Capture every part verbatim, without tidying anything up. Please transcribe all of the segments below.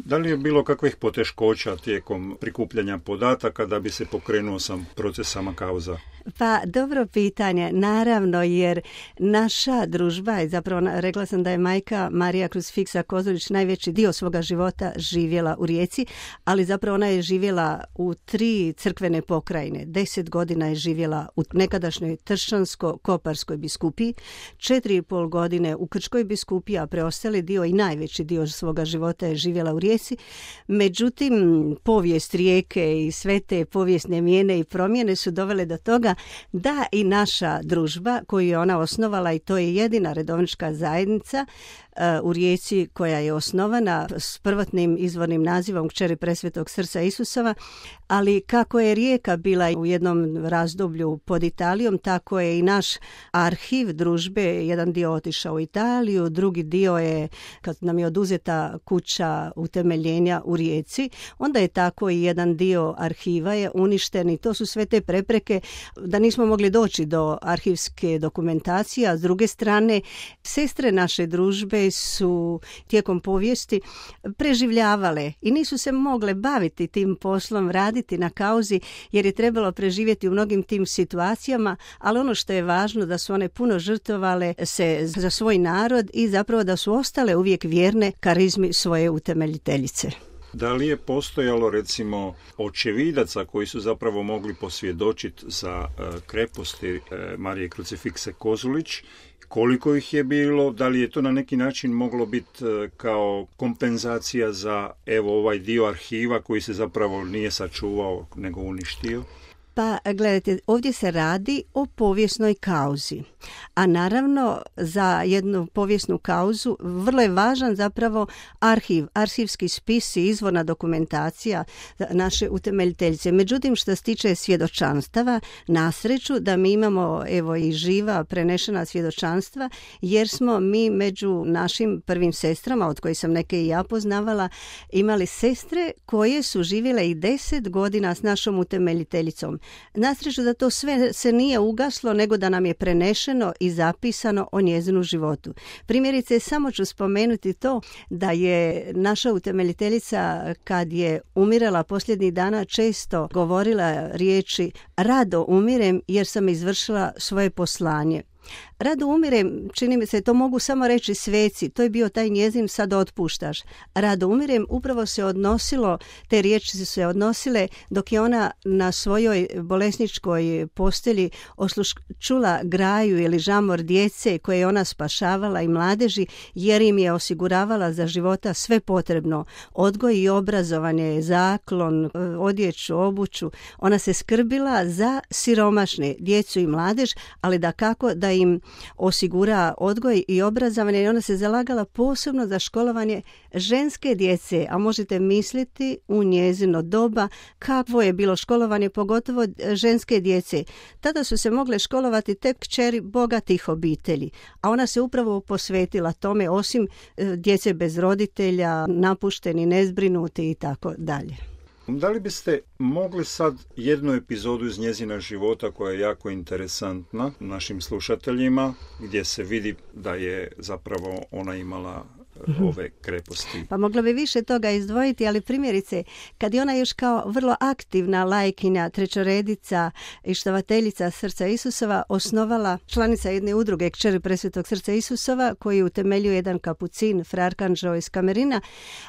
Da li je bilo kakvih poteškoća tijekom prikupljanja podataka da bi se pokrenuo sam proces sama kauza? Pa dobro pitanje, naravno, jer naša družba je zapravo, rekla sam da je majka Marija Krucifiksa Kozolić najveći dio svoga života živjela u Rijeci, ali zapravo ona je živjela u tri crkvene pokrajine. Deset godina je živjela u nekadašnjoj Tršćansko-Koparskoj biskupiji, četiri i pol godine u Krčkoj biskupiji, a preostali dio i najveći dio svoga života je živjela u Rijeci. Međutim, povijest Rijeke i sve te povijesne mijene i promjene su dovele do toga da i naša družba koju je ona osnovala, i to je jedina redovnička zajednica u Rijeci koja je osnovana s prvotnim izvornim nazivom Kćeri Presvetog srca Isusova, ali kako je Rijeka bila u jednom razdoblju pod Italijom, tako je i naš arhiv družbe, jedan dio otišao u Italiju, drugi dio je, kad nam je oduzeta kuća utemeljenja u Rijeci, onda je tako i jedan dio arhiva je uništen i to su sve te prepreke da nismo mogli doći do arhivske dokumentacije, a s druge strane sestre naše družbe su tijekom povijesti preživljavale i nisu se mogle baviti tim poslom, raditi na kauzi, jer je trebalo preživjeti u mnogim tim situacijama, ali ono što je važno da su one puno žrtvovale se za svoj narod i zapravo da su ostale uvijek vjerne karizmi svoje utemeljiteljice. Da li je postojalo recimo očevidaca koji su zapravo mogli posvjedočiti za uh, kreposti uh, Marije Krucifikse Kozolić? Koliko ih je bilo? Da li je to na neki način moglo biti uh, kao kompenzacija za evo ovaj dio arhiva koji se zapravo nije sačuvao nego uništio? Pa gledajte, ovdje se radi o povijesnoj kauzi, a naravno za jednu povijesnu kauzu vrlo je važan zapravo arhiv, arhivski spis i izvorna dokumentacija naše utemeljiteljice. Međutim, što se tiče svjedočanstava, na sreću da mi imamo evo i živa prenešena svjedočanstva, jer smo mi među našim prvim sestrama, od kojih sam neke i ja poznavala, imali sestre koje su živjele i deset godina s našom utemeljiteljicom. Na sreću da to sve se nije ugaslo, nego da nam je prenešeno i zapisano o njezinu životu. Primjerice, samo ću spomenuti to da je naša utemeljiteljica kad je umirala posljednjih dana često govorila riječi rado umirem jer sam izvršila svoje poslanje. Rado umirem, čini mi se, to mogu samo reći sveci, to je bio taj njezin sad otpuštaš. Rado umirem upravo se odnosilo, te riječi su se odnosile dok je ona na svojoj bolesničkoj postelji osluš, čula graju ili žamor djece koje je ona spašavala i mladeži, jer im je osiguravala za života sve potrebno. Odgoj i obrazovanje, zaklon, odjeću, obuću. Ona se skrbila za siromašne, djecu i mladež, ali da kako da im osigura odgoj i obrazovanje, i ona se zalagala posebno za školovanje ženske djece, a možete misliti u njezino doba kakvo je bilo školovanje, pogotovo ženske djece. Tada su se mogle školovati tek kćeri bogatih obitelji, a ona se upravo posvetila tome, osim djece bez roditelja, napušteni, nezbrinuti i tako dalje. Da li biste mogli sad jednu epizodu iz njezina života koja je jako interesantna našim slušateljima, gdje se vidi da je zapravo ona imala ove kreposti? Pa mogla bi više toga izdvojiti, ali primjerice, kad je ona još kao vrlo aktivna lajkinja, trećoredica i štovateljica Srca Isusova osnovala članica jedne udruge Kćeri Presvetog Srca Isusova koji utemeljuje jedan kapucin, fra Arkanđeo iz Kamerina,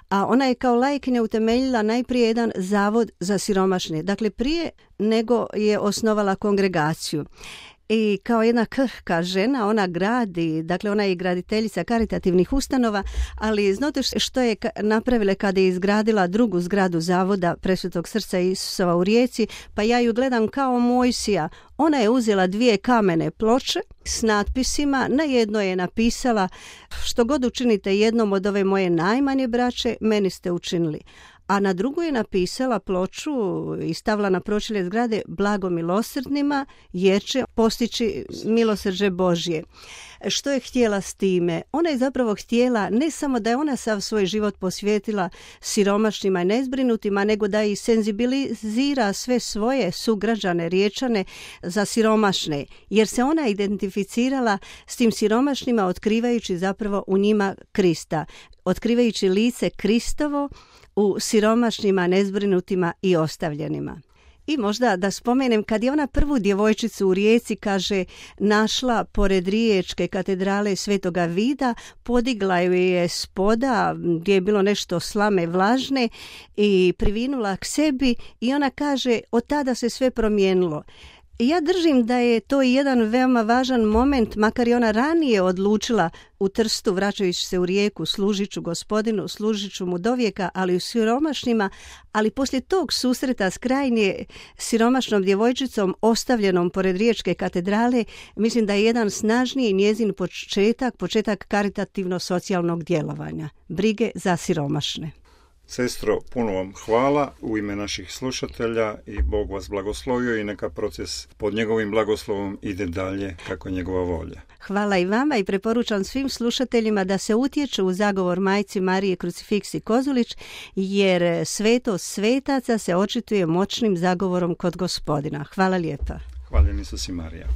a ona je kao lajkinja utemeljila najprije jedan zavod za siromašne. Dakle, prije nego je osnovala kongregaciju. I kao jedna krhka žena ona gradi, dakle ona je graditeljica karitativnih ustanova, ali znate što je napravila kada je izgradila drugu zgradu zavoda Presvetog Srca Isusova u Rijeci? Pa ja ju gledam kao Mojsija. Ona je uzela dvije kamene ploče s natpisima, na jednoj je napisala što god učinite jednom od ove moje najmanje braće, meni ste učinili. A na drugu je napisala ploču i stavila na pročelje zgrade blago milosrdnima jer će postići milosrđe Božje. Što je htjela s time? Ona je zapravo htjela ne samo da je ona sav svoj život posvetila siromašnima i nezbrinutima, nego da i senzibilizira sve svoje sugrađane Riječane za siromašne, jer se ona identificirala s tim siromašnima otkrivajući zapravo u njima Krista. otkrivajući lice Kristovo u siromašnima, nezbrinutima i ostavljenima. I možda da spomenem, kad je ona prvu djevojčicu u Rijeci, kaže, našla pored Riječke katedrale Svetoga Vida, podigla ju je spoda gdje je bilo nešto slame vlažne i privinula k sebi i ona kaže, od tada se sve promijenilo. Ja držim da je to jedan veoma važan moment, makar je ona ranije odlučila u Trstu, vraćajući se u Rijeku, služit ću Gospodinu, služit ću mu dovijeka, ali u siromašnima, ali poslije tog susreta s krajnje siromašnom djevojčicom ostavljenom pored Riječke katedrale, mislim da je jedan snažniji njezin početak, početak karitativno-socijalnog djelovanja, brige za siromašne. Sestro, puno vam hvala u ime naših slušatelja i Bog vas blagoslovio i neka proces pod njegovim blagoslovom ide dalje kako je njegova volja. Hvala i vama i preporučam svim slušateljima da se utječu u zagovor Majci Marije Krucifiksi Kozulić, jer svetost svetaca se očituje moćnim zagovorom kod Gospodina. Hvala lijepa. Hvaljen Isus i Marija.